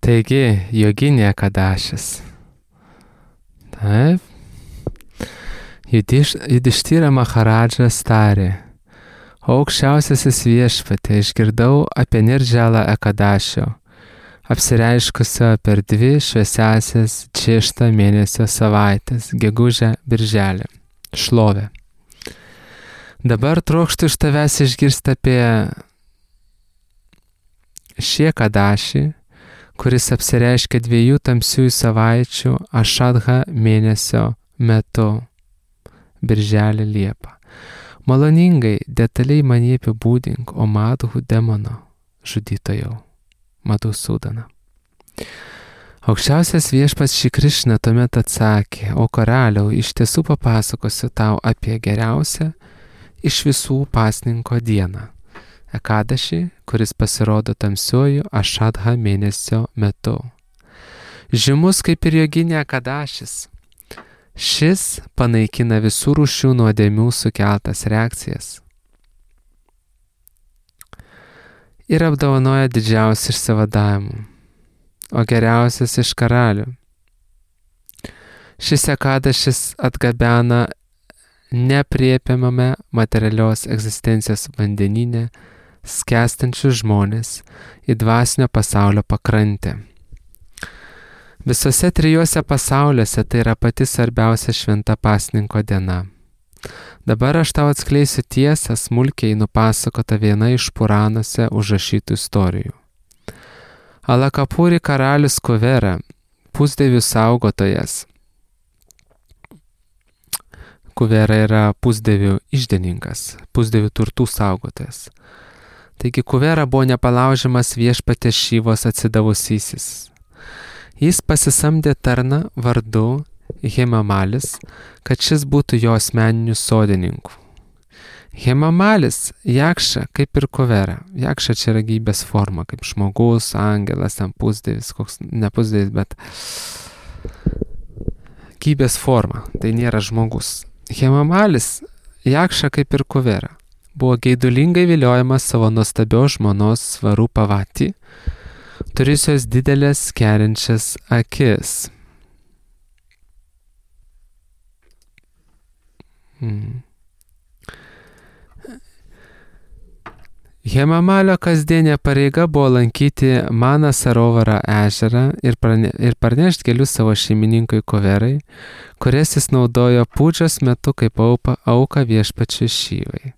Taigi, Joginė Kadašis. Taip. Judištyra Maharadžas tarė: Aukščiausiasis viešpatie, išgirdau apie Nirdžalą Ekadašio, apsireiškusio per 2 šviesiasias 6 mėnesio savaitės, gegužę, birželį. Šlovė. Dabar trokštu iš tavęs išgirsti apie šį Kadašį, kuris apsireiškia 2 tamsiųjų savaičių Ašadha mėnesio metu, birželį, liepą. Maloningai, detaliai man jį apibūdink, o Madhų demono žudytojau, Madhusūdana. Aukščiausias viešpats Šri Krišna tuomet atsakė: O karaliau, iš tiesų papasakosiu tau apie geriausią iš visų pasninko dieną, Ekadašį, kuris pasirodo tamsiuoju Ašadha mėnesio metu. Žymus kaip ir Joginė Kadašis, šis panaikina visų rūšių nuodėmių sukeltas reakcijas ir apdovanoja didžiausią išsivadavimą, o geriausias iš karalių. Šis Ekadašis atgabena nepriepiamame materialios egzistencijos vandenyne skęstančius žmonės į dvasinio pasaulio pakrantę. Visose 3 pasauliuose tai yra pati svarbiausia šventa pasninko diena. Dabar aš tau atskleisiu tiesą, smulkiai nupasakota viena iš Puranuose užrašytų istorijų. Alakapuri karalius Kuvera, pusdievių saugotojas. Kuvera yra pusdievių iždininkas, pusdievių turtų saugotojas. Taigi Kuvera buvo nepalaužiamas viešpaties Šivos atsidavusysis. Jis pasisamdė tarną vardu Hemamalis, kad šis būtų jo asmeniniu sodininku. Hemamalis, Jakša, kaip ir Kuvera. Jakša čia yra gyvybės forma, kaip žmogus, angelas, pusdievis, koks ne pusdievis, bet gyvybės forma, tai nėra žmogus. Hemamalis, Jakša, kaip ir Kuvera, buvo geidulingai viliojamas savo nuostabios žmonos Svarupavati, turėjusios didelės kerinčias akis. Hemamalio kasdienė pareiga buvo lankyti Manasarovarą ežerą ir parnešti gėlių savo šeimininkui Kuverai, kurias jis naudojo pūdžios metu kaip auką viešpačiui Šivai.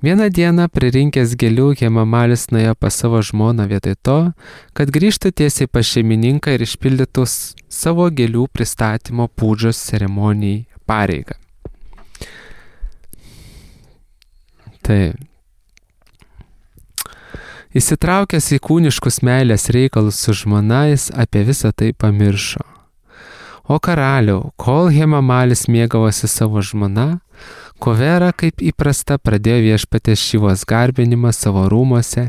Vieną dieną pririnkęs gėlių Hemamalis nuėjo pas savo žmoną vietoj to, kad grįžtų tiesiai pas šeimininką ir išpildytų savo gėlių pristatymo pūdžios ceremonijai pareigą. Taip. Įsitraukęs į kūniškus meilės reikalus su žmona, jis apie visą tai pamiršo. O karaliau, kol Hemamalis mėgavosi savo žmona, Kuvera, kaip įprasta, pradėjo viešpaties Šivos garbinimą savo rūmuose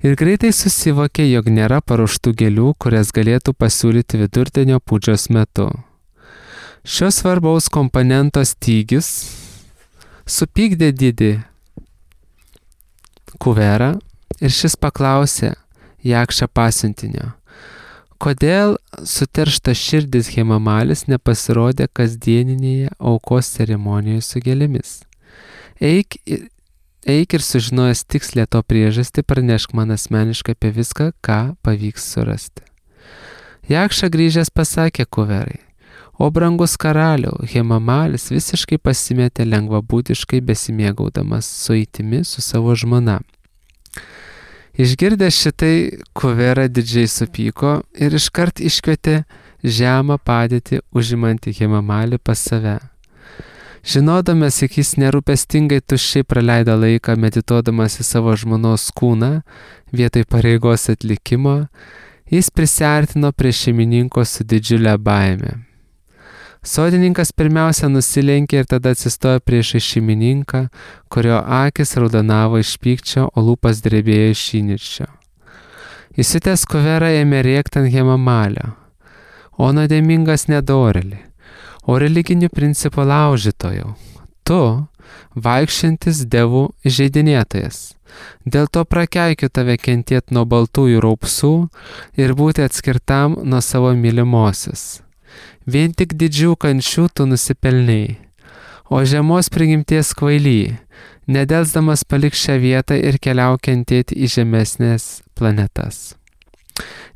ir greitai susivokė, jog nėra paruoštų gėlių, kurias galėtų pasiūlyti vidurdienio pūdžios metu. Šios svarbaus komponento stygius supykdė didį Kuverą ir šis paklausė Jakša pasiuntinio: kodėl suterštas širdis Hemamalis nepasirodė kasdieninėje aukos ceremonijoje su gėlėmis? Eik ir sužinojęs tikslę to priežastį, pranešk man asmeniškai apie viską, ką pavyks surasti. Jakša grįžęs pasakė Kuverai: o brangus karaliau, Hemamalis visiškai pasimetė lengvabūdiškai besimėgaudamas sueitimi su savo žmona. Išgirdęs šitai, Kuvera didžiai supyko ir iškart iškvietė žemą padėtį užimantį Hemamalį pas save. Žinodamas, jog jis nerūpestingai tuščiai praleido laiką medituodamas į savo žmonos kūną vietoj pareigos atlikimo, jis prisiartino prie šeimininko su didžiulė baime. Sodininkas pirmiausia nusilenkė ir tada atsistojo priešai šeimininką, kurio akis raudonavo iš pykčio, o lūpas drebėjo iš įniršio. Įsiutęs Kuvera ėmė rėkti ant Hemamalio: o nuodėmingas nedorėli, o religinių principų laužytojau, tu, vaikščiantis dievų įžeidinėtojas. Dėl to prakeikiu tave kentėti nuo baltųjų raupsų ir būti atskirtam nuo savo mylimosios. Vien tik didžių kančių tu nusipelnei, o žemos prigimties kvaily, nedelsdamas palik šią vietą ir keliauk kentėti į žemesnės planetas.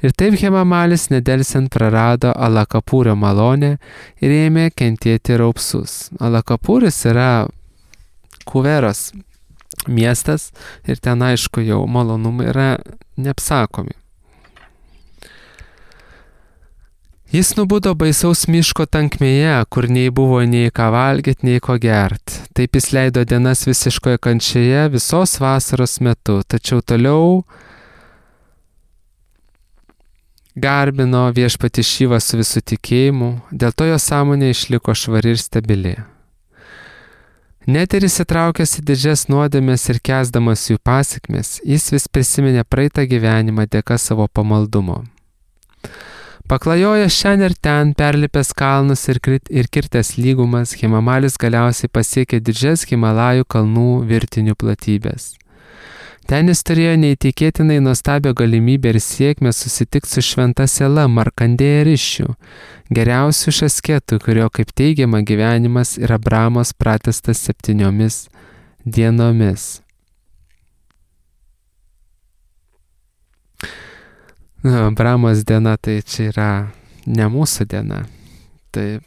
Ir taip Hemamalis nedelsiant prarado Alakapūrio malonę ir ėmė kentėti raupsus. Alakapūris yra Kuveros miestas ir ten aišku jau malonumai yra neapsakomi. Jis nubudo baisaus miško tankmėje, kur nei buvo nei ką valgyti, nei ko gerti. Taip jis leido dienas visiškoje kančioje visos vasaros metu, tačiau toliau garbino viešpatį Šivą su visų tikėjimu, dėl to jo sąmonė išliko švari ir stabili. Net ir įsitraukęs į didžias nuodėmes ir kęsdamas jų pasekmes, jis vis prisiminė praeitą gyvenimą dėka savo pamaldumo. Paklajojęs šiandien ir ten, perlipęs kalnus ir kirtęs lygumas, Hemamalis galiausiai pasiekė didžias Himalajų kalnų virtinių platybės. Ten jis turėjo neįtikėtinai nuostabią galimybę ir sėkmę susitikti su šventa siela Markandėja Rišiu, geriausių iš asketų, kurio, kaip teigiama, gyvenimas yra Brahmos pratęstas 7 dienomis. Brahmos diena tai čia yra ne mūsų diena. Tai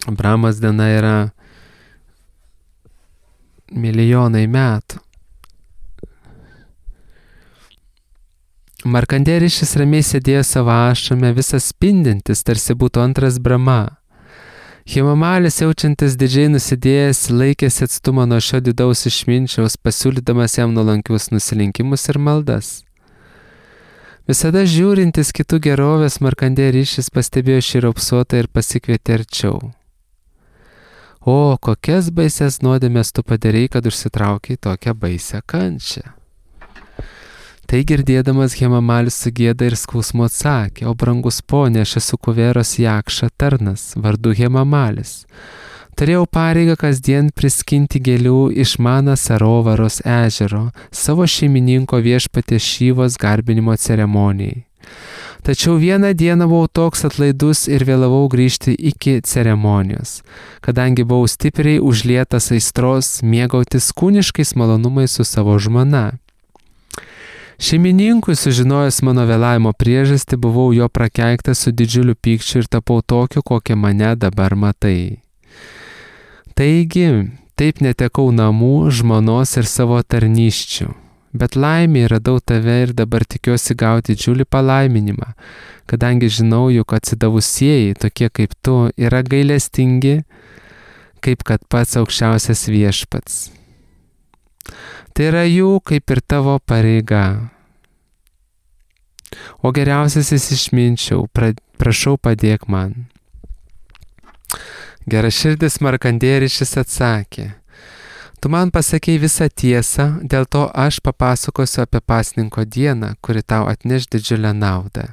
Brahmos diena yra milijonai metų. Markandėja Rišis ramiai sėdėjo savo ašrame, visas spindintis, tarsi būtų antras Brahma. Hemamalis, jaučiantis didžiai nusidėjęs, laikėsi atstumą nuo šio didaus išminčiaus, pasiūlydamas jam nuolankius nusilenkimus ir maldas. Visada žiūrintis kitų gerovės, Markandėja Rišis pastebėjo šį raupsuotą ir pasikvietė arčiau. O, kokias baisias nuodėmes tu padarei, kad užsitraukiai tokią baisią kančią. Tai girdėdamas Hemamalis su gėda ir skausmu atsakė, o brangus ponė, aš esu Kuveros Jakša tarnas, vardu Hemamalis. Turėjau pareigą kasdien priskinti gėlių iš Mana Sarovaros ežero savo šeimininko viešpaties Šivos garbinimo ceremonijai. Tačiau vieną dieną buvau toks atlaidus ir vėlavau grįžti iki ceremonijos, kadangi buvau stipriai užlietas aistros mėgautis kūniškais malonumais su savo žmona. Šeimininkui sužinojęs mano vėlavimo priežastį, buvau jo prakeiktas su didžiuliu pykčiu ir tapau tokiu, kokią mane dabar matai. Taigi, taip netekau namų, žmonos ir savo tarnysčių, bet laimė radau tave ir dabar tikiuosi gauti didžiulį palaiminimą, kadangi žinau, jog atsidavusieji, tokie kaip tu, yra gailestingi, kaip kad pats aukščiausias viešpats. Tai yra jų kaip ir tavo pareiga. O geriausiasis išminčiau, prašau padėk man. Geraširdis Markandėja Rišis atsakė, tu man pasakei visą tiesą, dėl to aš papasakosiu apie pasninko dieną, kuri tau atneš didžiulę naudą.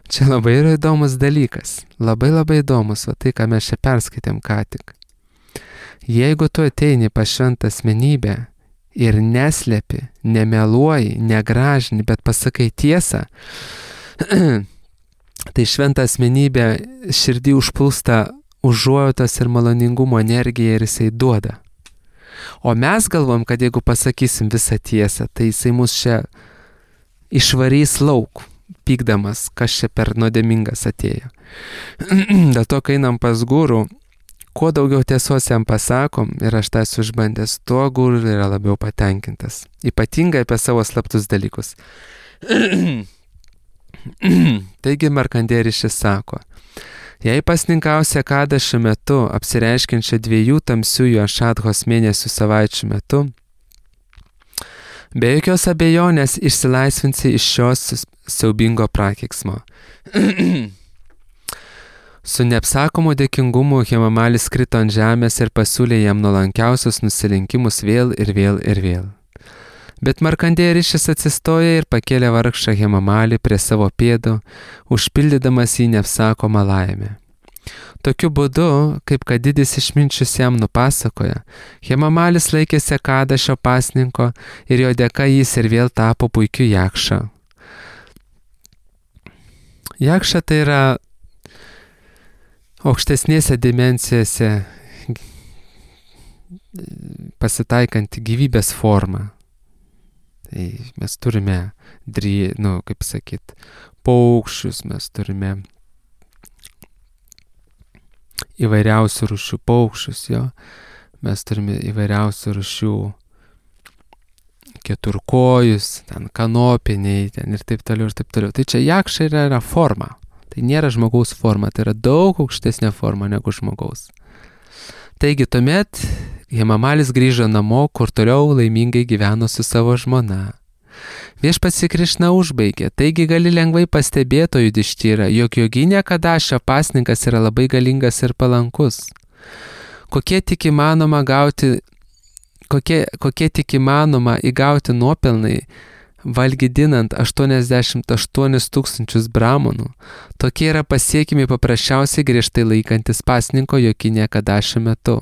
Čia labai yra įdomus dalykas, labai įdomus, va tai, ką mes čia perskaitėm ką tik. Jeigu tu ateini pas šventą asmenybę ir neslepi, nemeluoji, negražini, bet pasakai tiesą, tai šventą asmenybę širdį užplūsta užuojautos ir maloningumo energija ir jisai duoda. O mes galvom, kad jeigu pasakysim visą tiesą, tai jisai mus čia išvarys lauk, pykdamas, kas čia per nuodėmingas atėjo. Dėl to, kai einam pas gurų, kuo daugiau tiesos jam pasakom, ir aš tą esu išbandęs, tuo guru yra labiau patenkintas. Ypatingai apie savo slaptus dalykus. Taigi Markandėja Rišis sako, jei pasninkausi Akadašo metu, apsireiškiančią 2 tamsiųjų Ašadhos mėnesių savaičių metu, be jokios abejonės išsilaisvinsi iš šios siaubingo prakeiksmo. Su neapsakomu dėkingumu Hemamalis krito ant žemės ir pasiūlė jam nuolankiausius nusilenkimus vėl ir vėl ir vėl. Bet Markandėja Rišis atsistoja ir pakėlė vargšą Hemamalį prie savo pėdų, užpildydamas jį neapsakomą laimę. Tokiu būdu, kaip kad didis išminčius jam nupasakoja, Hemamalis laikėsi Ekadašio pasninko ir jo dėka jis ir vėl tapo puikiu jakša. Jakša tai yra aukštesnėse dimensijose pasitaikanti gyvybės forma. Tai mes turime, paukščius, mes turime įvairiausių rūšių paukščius, mes turime įvairiausių rūšių keturkojus, ten kanopiniai, ten ir taip toliau, ir taip toliau. Tai čia jakša yra forma. Tai nėra žmogaus forma, tai yra daug aukštesnė forma negu žmogaus. Taigi tuomet Hemamalis grįžo namo, kur toliau laimingai gyveno su savo žmona. Viešpats Krišna užbaigė, taigi gali lengvai pastebėti, Judištyra, jog Joginė Kadašio pasninkas yra labai galingas ir palankus. Kokie tik įmanoma įgauti nuopelnai, valgydinant 88 000 bramonų, tokie yra pasiekimi paprasčiausiai griežtai laikantis pasninko Joginė Kadašio metu.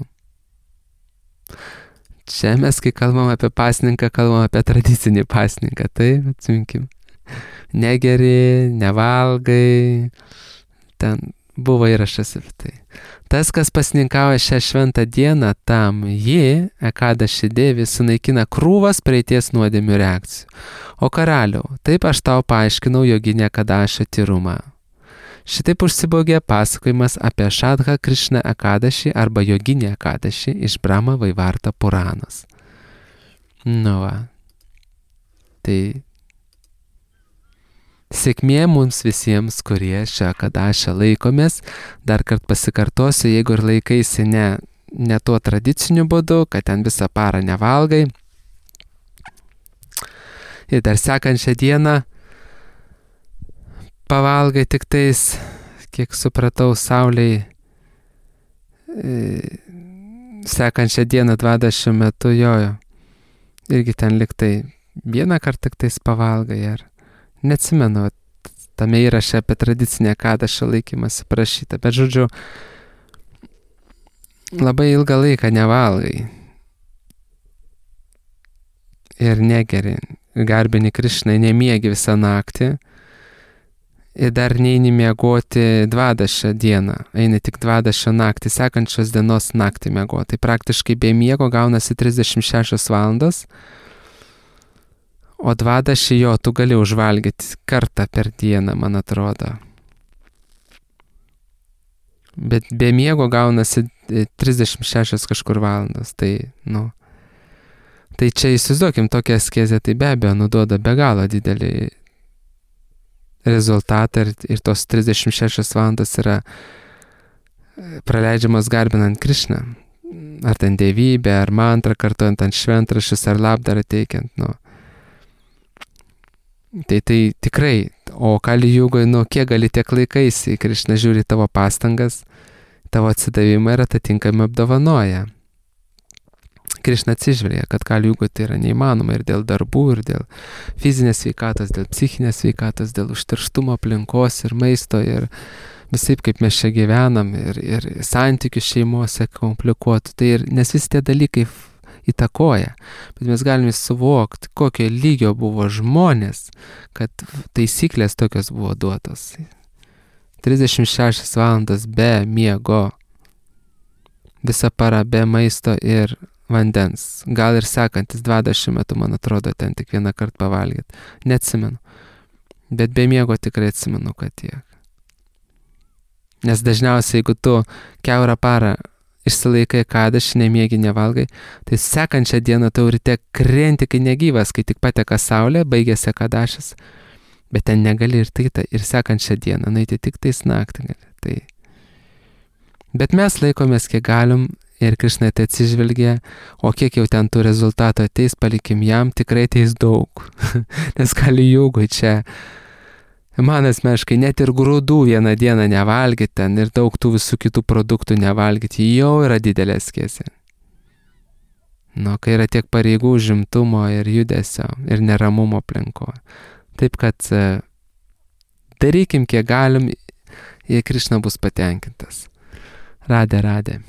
Čia mes, kai kalbam apie pasninką, kalbam apie tradicinį pasninką, taip, atsiminkim. Negeri, nevalgai, ten buvo įrašas apie tai. Tas, kas pasninkauja šią šventą dieną, tam ji, Ekadaši dėvi, sunaikina krūvas praeities nuodėmių reakcijų. O karaliau, taip aš tau paaiškinau Joginė Kadašio tyrumą. Šitaip užsibaugė pasakojimas apie Šadha Krišna Ekadaši arba Joginė Ekadaši iš Brahma Vaivarta Puranos. Tai sėkmė mums visiems, kurie šią Ekadašę laikomės. Dar kart pasikartosiu, jeigu ir laikaisi ne tuo tradiciniu būdu, kad ten visą parą nevalgai. Ir dar sekančią dieną pavalgai tik tais, kiek supratau, saulei sekančią dieną 20 metų jojo. Irgi ten liktai vieną kartą tik tais pavalgai, ar neatsimenu, tame įraše apie tradicinę Ekadašio laikymąsi parašyta, bet žodžiu, labai ilgą laiką nevalgai ir negeri, garbini Krišnai, nemiegi visą naktį. Ir dar neini miegoti 20 dieną, eini tik 20 naktį, sekančios dienos naktį miegoti. Tai praktiškai be miego gaunasi 36 valandos, o 20 tu gali užvalgyti kartą per dieną, man atrodo. Bet be miego gaunasi 36 kažkur valandos, tai čia įsivaizduokim tokią askezę, tai be abejo nuduoda be galo didelį rezultatą ir tos 36 valandos yra praleidžiamos garbinant Krišną. Ar ten dievybę, ar mantrą kartuojant ant šventraščius, ar labdarą teikiant. Tai tikrai, o Kali Jugoj, kiek gali tiek laikaisi, Krišna žiūri tavo pastangas, tavo atsidavimą ir atitinkamai apdovanoja. Krišna atsižvelgia, kad Kali Jugoj tai yra neįmanoma ir dėl darbų, ir dėl fizinės sveikatos, dėl psichinės sveikatos, dėl užterštumo aplinkos ir maisto ir visaip kaip mes čia gyvenam ir santykių šeimose komplikuotų. Tai nes visi tie dalykai įtakoja, bet mes galime suvokti, kokio lygio buvo žmonės, kad taisyklės tokios buvo duotos. 36 valandas be miego, visą parą be maisto ir vandens. Gal ir sekantis 20 metų, man atrodo, ten tik vieną kartą pavalgyti. Neatsimenu. Bet be miego tikrai atsimenu, kad tiek. Nes dažniausiai, jeigu tu kiaurą parą išsilaikai Ekadašį, nemiegi, nevalgai, tai sekančią dieną tau ryte krenti, kai negyvas, kai tik pateka saulė, baigėsi Ekadašis. Bet ten negali ir sekančią dieną, nueiti tik tais naktį gali. Tai. Bet mes laikomės, kiek galim, ir Krišna tai atsižvelgia, o kiek jau ten tų rezultatų ateis, palikim jam, tikrai ateis daug. Nes Kali Jugoj čia, man asmeniškai, net ir grūdų vieną dieną nevalgyti ten ir daug tų visų kitų produktų nevalgyti, jau yra didelė askezė. Kai yra tiek pareigų, užimtumo ir judesio ir neramumo aplinkoje. Taip kad darykim, kiek galim, ir Krišna bus patenkintas. Radė.